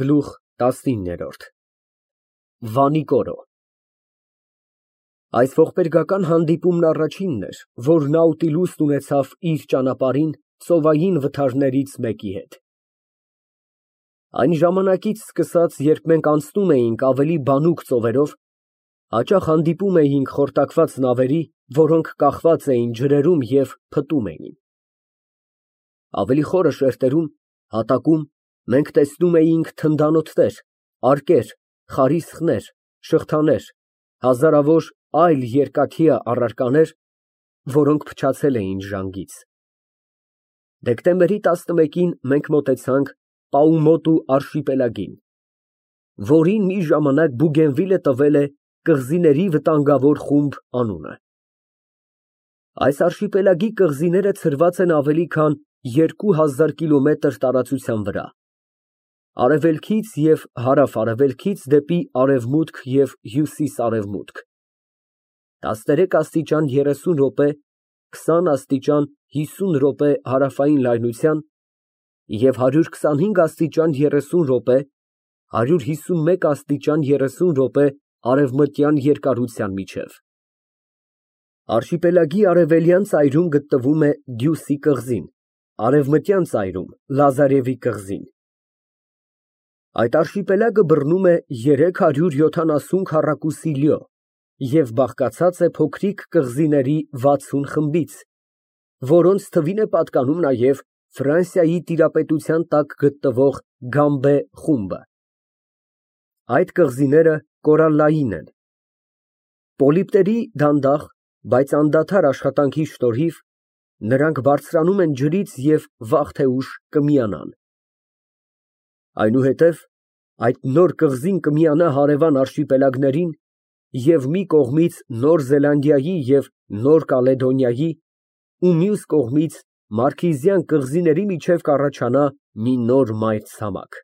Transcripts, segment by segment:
Գլուխ 19 Վանի կորո Այս ողբերգական հանդիպումն առաջինն էր, որ Նաուտիլուսն ունեցավ իր ճանապարհին ծովային վթարներից մեկի հետ։ Այն ժամանակից սկսած, երբ մենք անցնում էինք ավելի բանուկ ծովերով, հաճախ հանդիպում էինք խորտակված նավերի, որոնք կախված էին ջրերում և փտում էին։ Ավելի խորը շերտերում, հատակում մենք տեսնում էինք թնդանոթներ, արկեր, խարիսխներ, շղթաներ, հազարավոր այլ երկաթյա առարկաներ, որոնք փչացել էին ժանգից։ Դեկտեմբերի 11-ին մենք մոտեցանք Պաումոտու արշիպելագին, որին մի ժամանակ Բուգենվիլը տվել է կղզիների վտանգավոր խումբ անունը։ Այս արշիպելագի կղզիները ցրված են ավելի քան 2000 կիլոմետր տարածության վրա, արևելքից և հարավ֊արևելքից դեպի արևմուտք և հյուսիս֊արևմուտք, 13 աստիճան 30 րոպե, 20 աստիճան 50 րոպե հարավային լայնության և 125 աստիճան 30 րոպե, 151 աստիճան 30 րոպե արևմտյան երկարության միջև։ Արշիպելագի արևելյան ծայրում գտնվում է Դյուսի կղզին, արևմտյան ծայրում՝ Լազարևի կղզին։ Այդ արշիպելագը բռնում է 370 քառակուսի լյո և բաղկացած է փոքրիկ կղզիների 60 խմբից, որոնց թվին է պատկանում նաև Ֆրանսիայի տիրապետության տակ գտնվող Գամբե խումբը։ Այդ կղզիները կորալլային են։ Պոլիպների դանդաղ, բայց անդադար աշխատանքի շնորհիվ նրանք բարձրանում են ջրից և վաղ թե ուշ կմիանան։ Այնուհետև այդ նոր կղզին կմիանա հարևան արշիպելագներին և մի կողմից Նոր Զելանդիայի և Նոր Կալեդոնիայի ու մյուս կողմից Մարքիզյան կղզիների միջև կառաջանա մի նոր մայրցամաք։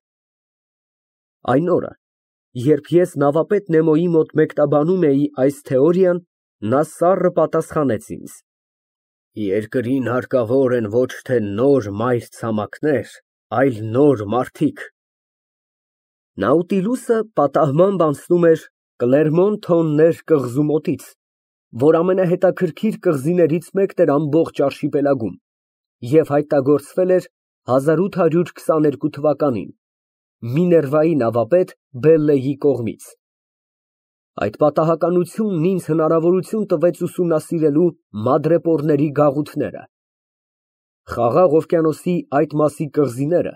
Այն օրը, երբ ես նավապետ Նեմոյի մոտ մեկնաբանում էի այս թեորիան, նա սառը պատասխանեց ինձ. Երկրին հարկավոր են ոչ թե նոր մայրցամաքներ, այլ նոր մարդիկ։ Նաուտիլուսը պատահմամբ անցնում էր Կլերմոն֊Թոններ կղզու մոտից, որ ամենահետաքրքիր կղզիներից մեկն էր ամբողջ արշիպելագում, և հայտնագործվել էր 1822 թվականին Միներվայի նավապետ Բելլեի կողմից։ Այդ պատահականությունն ինձ հնարավորություն տվեց ուսումնասիրելու մադրեպորների գաղութները։ Խաղաղ օվկիանոսի այդ մասի կղզիները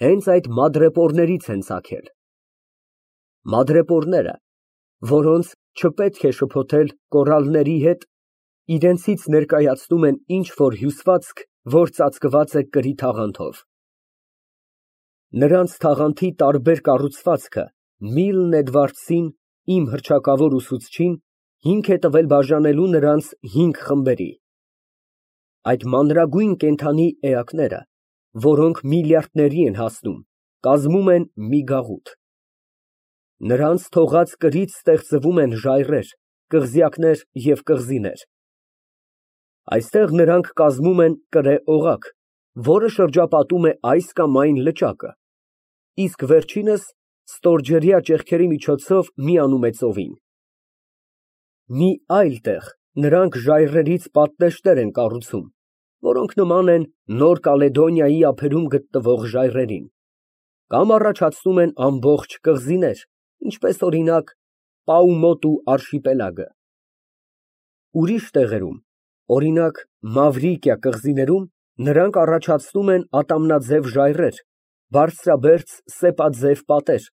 հենց այդ մադրեպորներից են ծագել։ Մադրեպորները, որոնց չպետք է շփոթել կորալների հետ, իրենցից ներկայացնում են ինչ֊որ հյուսվածք, որ ծածկված է կրի թաղանթով։ Նրանց թաղանթի տարբեր կառուցվածքը Միլն Էդվարդսին, իմ հռչակավոր ուսուցչին, հիմք է տվել բաժանելու նրանց 5 խմբերի։ Այդ մանրագույն կենդանի էակները, որոնք միլիարդների են հասնում, կազմում են մի գաղութ։ Նրանց թողած կրից ստեղծվում են ժայռեր, կղզյակներ և կղզիներ։ Այստեղ նրանք կազմում են կրե֊օղակ, որը շրջապատում է այս կամ այն լճակը, իսկ վերջինս ստորջրյա ճեղքերի միջոցով միանում է ծովին։ Մի այլ տեղ նրանք ժայռերից պատնեշներ են կառուցում, որոնք նման են Նոր Կալեդոնիայի ափերում գտնվող ժայռերին, կամ առաջացնում են ամբողջ կղզիներ, ինչպես օրինակ Պաումոտու արշիպելագը։ Ուրիշ տեղերում, օրինակ Մավրիկիա կղզիներում, նրանք առաջացնում են ատամնաձև ժայռեր, բարձրաբերձ սեպաձև պատեր,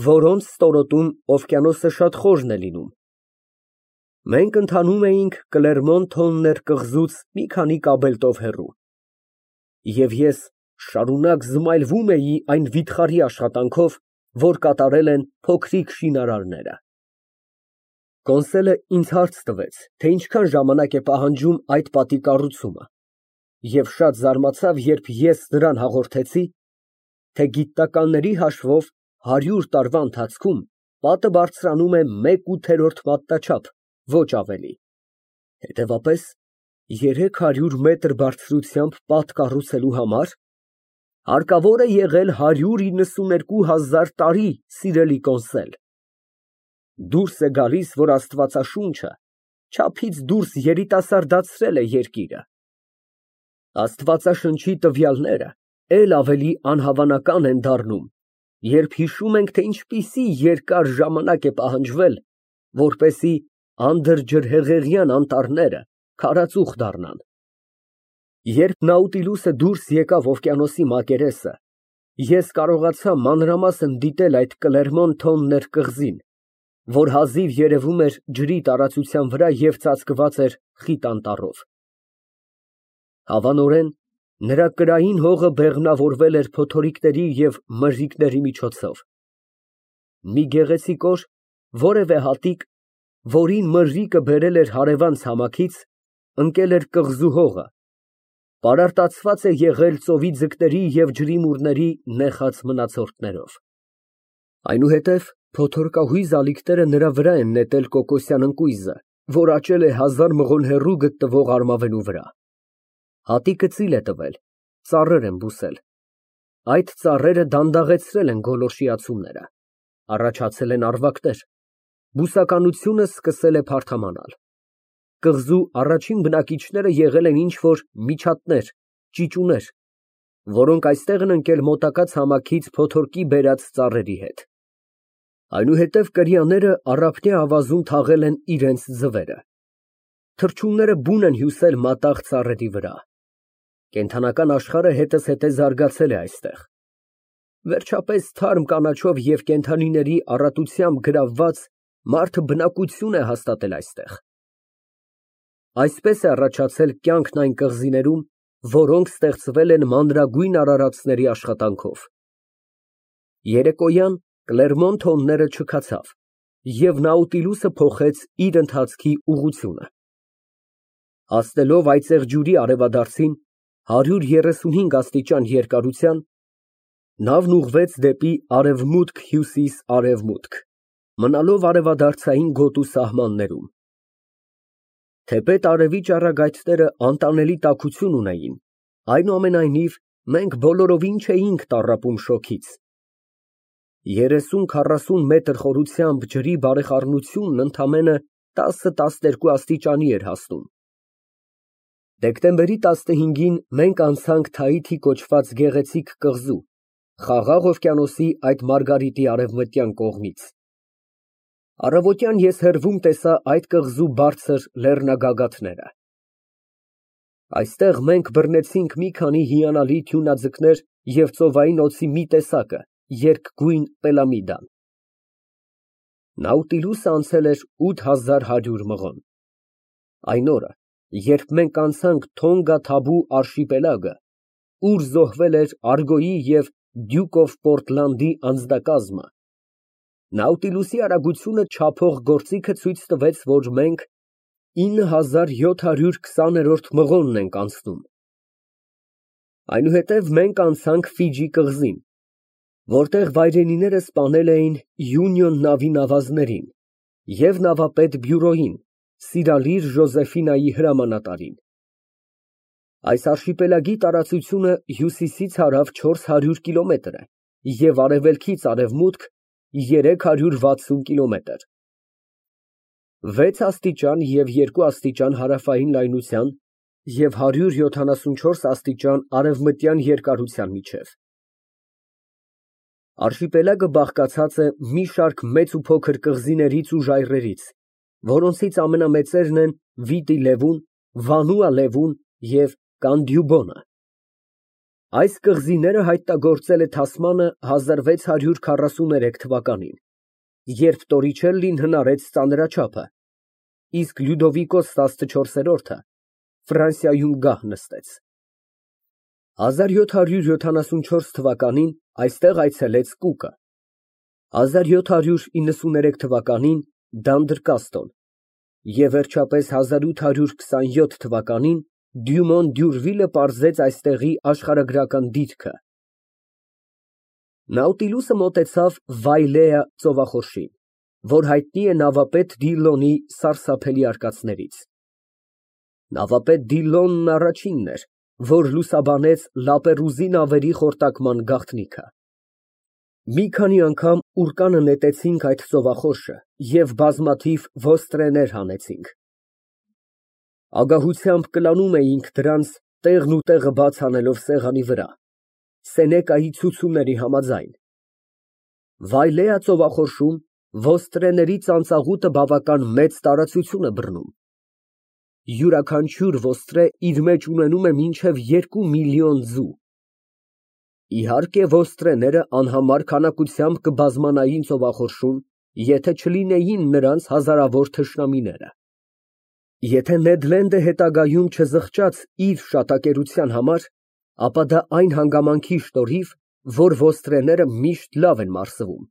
որոնց ստորոտում օվկիանոսը շատ խորն է լինում։ Մենք ընթանում էինք Կլերմոն֊Թոններ կղզուց մի քանի կաբելտով հեռու, և ես շարունակ զմայլվում էի այն վիթխարի աշխատանքով, որ կատարել են փոքրիկ շինարարները։ Կոնսելը ինձ հարց տվեց, թե ինչքան ժամանակ է պահանջում այդ պատի կառուցումը, և շատ զարմացավ, երբ ես նրան հաղորդեցի, թե գիտնականների հաշվով 100 տարվա ընթացքում պատը բարձրանում է 1/8 մատնաչափ, ոչ ավելի։ Հետևաբար 300 մետր բարձրությամբ պատ կառուցելու համար Հարկավոր է եղել 192,000 տարի, սիրելի կոնսել։ Դուրս է գալիս, որ Աստվածաշունչը չափից դուրս երիտասարդացրել է երկիրը։ Աստվածաշնչի տվյալները էլ ավելի անհավանական են դառնում, երբ հիշում ենք, թե ինչպիսի երկար ժամանակ է պահանջվել, որպեսզի անդրջրհեղեղյան անտառները քարածուխ դառնան։ Երբ Նաուտիլուսը դուրս եկավ օվկիանոսի մակերեսը, ես կարողացա մանրամասն դիտել այդ Կլերմոն-Թոններ կղզին, որ հազիվ երևում էր ջրի տարածության վրա և ծածկված էր խիտ անտառով։ Հավանորեն, նրա կրային հողը բեղմնավորվել էր փոթորիկների և մրրիկների միջոցով։ Մի գեղեցիկ օր որևէ հատիկ, որին մրրիկը բերել էր հարևան ցամաքից, ընկել էր կղզու հողը, պարարտացված է եղել ծովի ձկների և ջրիմուռների նեխած մնացորդներով։ Այնուհետև փոթորկահույզ ալիքները նրա վրա են նետել կոկոսյան ընկույզը, որ աճել է 1000 մղոն հեռու գտնվող արմավենու վրա։ Հատիկը ծիլ է տվել, ծառեր են բուսել։ Այդ ծառերը դանդաղեցրել են գոլորշիացումները, առաջացել են առվակներ, բուսականությունը սկսել է փարթամանալ։ Կղզու առաջին բնակիչները եղել են ինչ֊որ միջատներ, ճիճուներ, որոնք այստեղ են ընկել մոտակա ցամաքից փոթորկի բերած ծառերի հետ։ Այնուհետև կրիաները առափնյա ավազում թաղել են իրենց ձվերը։ Թռչունները բուն են հյուսել մատաղ ծառերի վրա։ Կենդանական աշխարհը հետզհետե զարգացել է այստեղ։ Վերջապես թարմ կանաչով և կենդանիների առատությամբ գրավված մարդը բնակություն է հաստատել այստեղ։ Այսպես է առաջացել կյանքն այն կղզիներում, որոնք ստեղծվել են մանրագույն արարածների աշխատանքով։ Երեկոյան Կլերմոն-Թոնները չքացավ, և Նաուտիլուսը փոխեց իր ընթացքի ուղղությունը։ Հասնելով այծեղ ջուրի արևադարձին, 135 աստիճան երկարության, նավն ուղղվեց դեպի արևմուտք֊հյուսիս֊արևմուտք, մնալով արևադարձային գոտու սահմաններում։ Թեպետ արևի ճառագայթները անտանելի տաքություն ունեին, այնուամենայնիվ մենք բոլորովին չէինք տառապում շոգից։ 30-40 մետր խորությամբ ջրի բարեխառնությունն ընդամենը 10-12 աստիճանի էր հասնում։ Դեկտեմբերի 15-ին մենք անցանք Թաիթի կոչված գեղեցիկ կղզու, Խաղաղ օվկիանոսի այդ մարգարիտի արևմտյան կողմից։ Առավոտյան ես հեռվում տեսա այդ կղզու բարձր լեռնագագաթները։ Այստեղ մենք բռնեցինք մի քանի հիանալի թյունաձկներ և ծովային օձի մի տեսակը, երկգույն պելամիդան։ Նաուտիլուսը անցել էր 8100 մղոն։ Այն օրը, երբ մենք անցանք Թոնգա Թաբու արշիպելագը, ուր զոհվել էր Արգոյի և Դյուք օֆ Պորտլանդի անձնակազմը, Նաուտիլուսի արագությունը չափող գործիքը ցույց տվեց, որ մենք 9720-րդ մղոնն ենք անցնում։ Այնուհետև մենք անցանք Ֆիջի կղզին, որտեղ վայրենիները սպանել էին Յունիոն նավի նավազներին և նավապետ բյուրոյին, Սիրալիր Ժոզեֆինայի հրամանատարին։ Այս արշիպելագի տարածությունը հյուսիսից հարավ 400 կիլոմետր է և արևելքից արևմուտք 360 կիլոմետր։ 6 աստիճան և 2 աստիճան հարավային լայնության և 174 աստիճան արևմտյան երկարության միջև։ Արշիպելագը բաղկացած է մի շարք մեծ ու փոքր կղզիներից ու ժայռերից, որոնցից ամենամեծերն են Վիտի Լևուն, Վանուա Լևուն և Կանդյուբոնը։ Այս կղզիները հայտնագործել է Թասմանը 1643 թվականին, երբ Տորիչելլին հնարեց ծանրաչափը, իսկ Լյուդովիկոս 14-րդը Ֆրանսիայում գահ նստեց։ 1774 թվականին այստեղ այցելեց Կուկը, 1793 թվականին Դանդրկաստոն և վերջապես 1827 թվականին Դյումոն Դյուրվիլը պարզեց այստեղի աշխարհագրական դիրքը։ Նաուտիլուսը մոտեցավ Վայլեա ծովախորշին, որ հայտնի է նավապետ Դիլլոնի սարսափելի արկածներից։ Նավապետ Դիլլոնն առաջինն էր, որ լուսաբանեց Լապերուզի նավերի խորտակման գաղտնիքը։ Մի քանի անգամ ուռկանը նետեցինք այդ ծովախորշը և բազմաթիվ ոստրեներ հանեցինք։ Ագահությամբ կլանում էինք դրանց տեղն ու տեղը բաց անելով սեղանի վրա, Սենեկայի ցուցումների համաձայն։ Վայլեա ծովախորշում ոստրեների ծանծաղուտը բավական մեծ տարածություն է բռնում։ Յուրաքանչյուր ոստրե իր մեջ ունենում է մինչև 2 միլիոն ձու։ Իհարկե, ոստրեները անհամար քանակությամբ կբազմանային ծովախորշում, եթե չլինեին նրանց հազարավոր թշնամիները։ Եթե Նեդ Լենդը հետագայում չզղջաց իր շատակերության համար, ապա դա այն հանգամանքի շնորհիվ, որ ոստրեները միշտ լավ են մարսվում։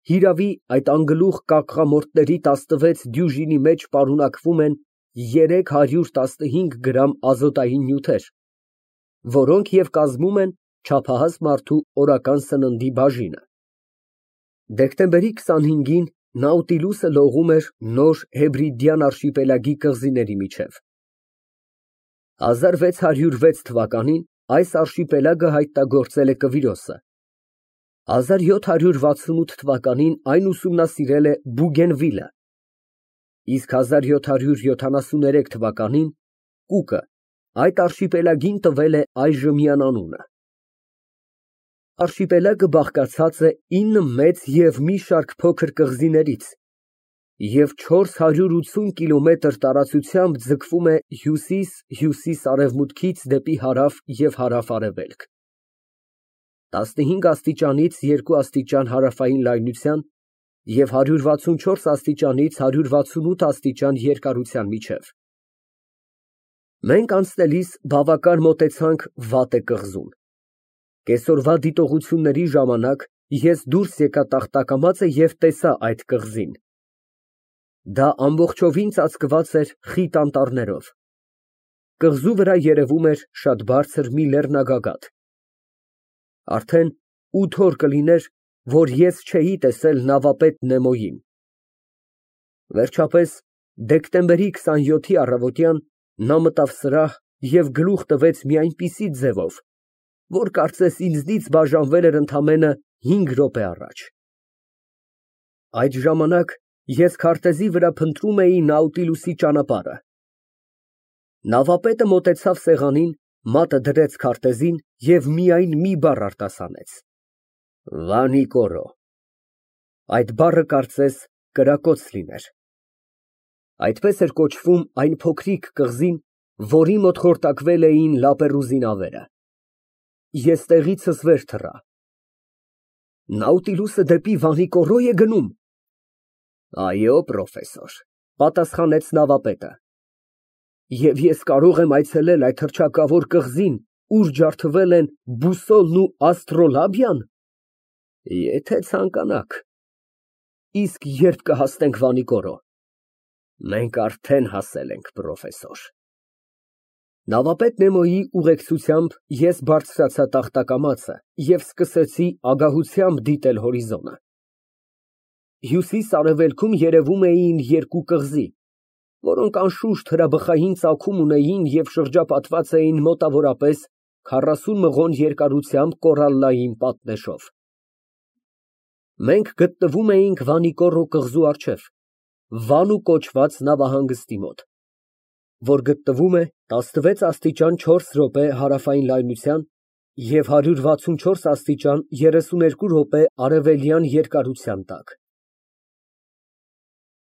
Հիրավի, այդ անգլուխ կակղամորտների 16 դյուժինի մեջ պարունակվում են 315 գրամ ազոտային նյութեր, որոնք և կազմում են չափահաս մարդու օրական սննդի բաժինը։ Դեկտեմբերի 25-ին Նաուտիլուսը լողում էր Նոր Հեբրիդյան արշիպելագի կղզիների միջև։ 1606 թվականին այս արշիպելագը հայտնագործել է Կվիրոսը։ 1768 թվականին այն ուսումնասիրել է Բուգենվիլը, իսկ 1773 թվականին Կուկը այդ արշիպելագին տվել է այժմյան անունը։ Արշիպելագը բաղկացած է 9 մեծ և մի շարք փոքր կղզիներից և 480 կիլոմետր տարածությամբ ձգվում է հյուսիս֊հյուսիս֊արևմուտքից դեպի հարավ և հարավ֊արևելք, 15 աստիճանից 2 աստիճան հարավային լայնության և 164 աստիճանից 168 աստիճան երկարության միջև։ Մենք անցնելիս բավական մոտեցանք Վատե կղզուն։ Կեսօրվա դիտողությունների ժամանակ ես դուրս եկա տախտակամածը և տեսա այդ կղզին։ Դա ամբողջովին ծածկված էր խիտ անտառներով։ Կղզու վրա երևում էր շատ բարձր մի լեռնագագաթ։ Արդեն 8 օր կլիներ, որ ես չէի տեսել նավապետ Նեմոյին։ Վերջապես, դեկտեմբերի 27-ի առավոտյան նա մտավ սրահ և գլուխ տվեց մի այնպիսի ձևով, որ կարծես ինձնից բաժանվել էր ընդամենը 5 րոպե առաջ։ Այդ ժամանակ ես քարտեզի վրա փնտրում էի Նաուտիլուսի ճանապարհը։ Նավապետը մոտեցավ սեղանին, մատը դրեց քարտեզին և միայն մի բառ արտասանեց. Վանիկորո։ Այդ բառը կարծես կրակոց լիներ։ Այդպես էր կոչվում այն փոքրիկ կղզին, որի մոտ խորտակվել էին Լապերուզի նավերը։ Ես տեղիցս վեր թռա։ Նաուտիլուսը դեպի Վանիկորո է գնում։ Այո, պրոֆեսոր, պատասխանեց նավապետը։ Եվ ես կարող եմ այցելել այդ հռչակավոր կղզին, ուր ջարդվել են բուսոլն ու աստրոլաբիա՞ն։ Եթե ցանկանաք։ Իսկ ե՞րբ կհասնենք Վանիկորո։ Մենք արդեն հասել ենք, պրոֆեսոր։ Նավապետ Նեմոյի ուղեկցությամբ ես բարձրացա տախտակամածը և սկսեցի ագահությամբ դիտել հորիզոնը։ Հյուսիս֊արևելքում երևում էին երկու կղզի, որոնք անշուշտ հրաբխային ծագում ունեին և շրջապատված էին մոտավորապես 40 մղոն երկարությամբ կորալլային պատնեշով։ Մենք գտնվում էինք Վանիկորո կղզու առջև, Վանու կոչված նավահանգստի մոտ, որ գտնվում է 16 աստիճան 4 րոպե հարավային լայնության և 164 աստիճան 32 րոպե արևելյան երկարության տակ։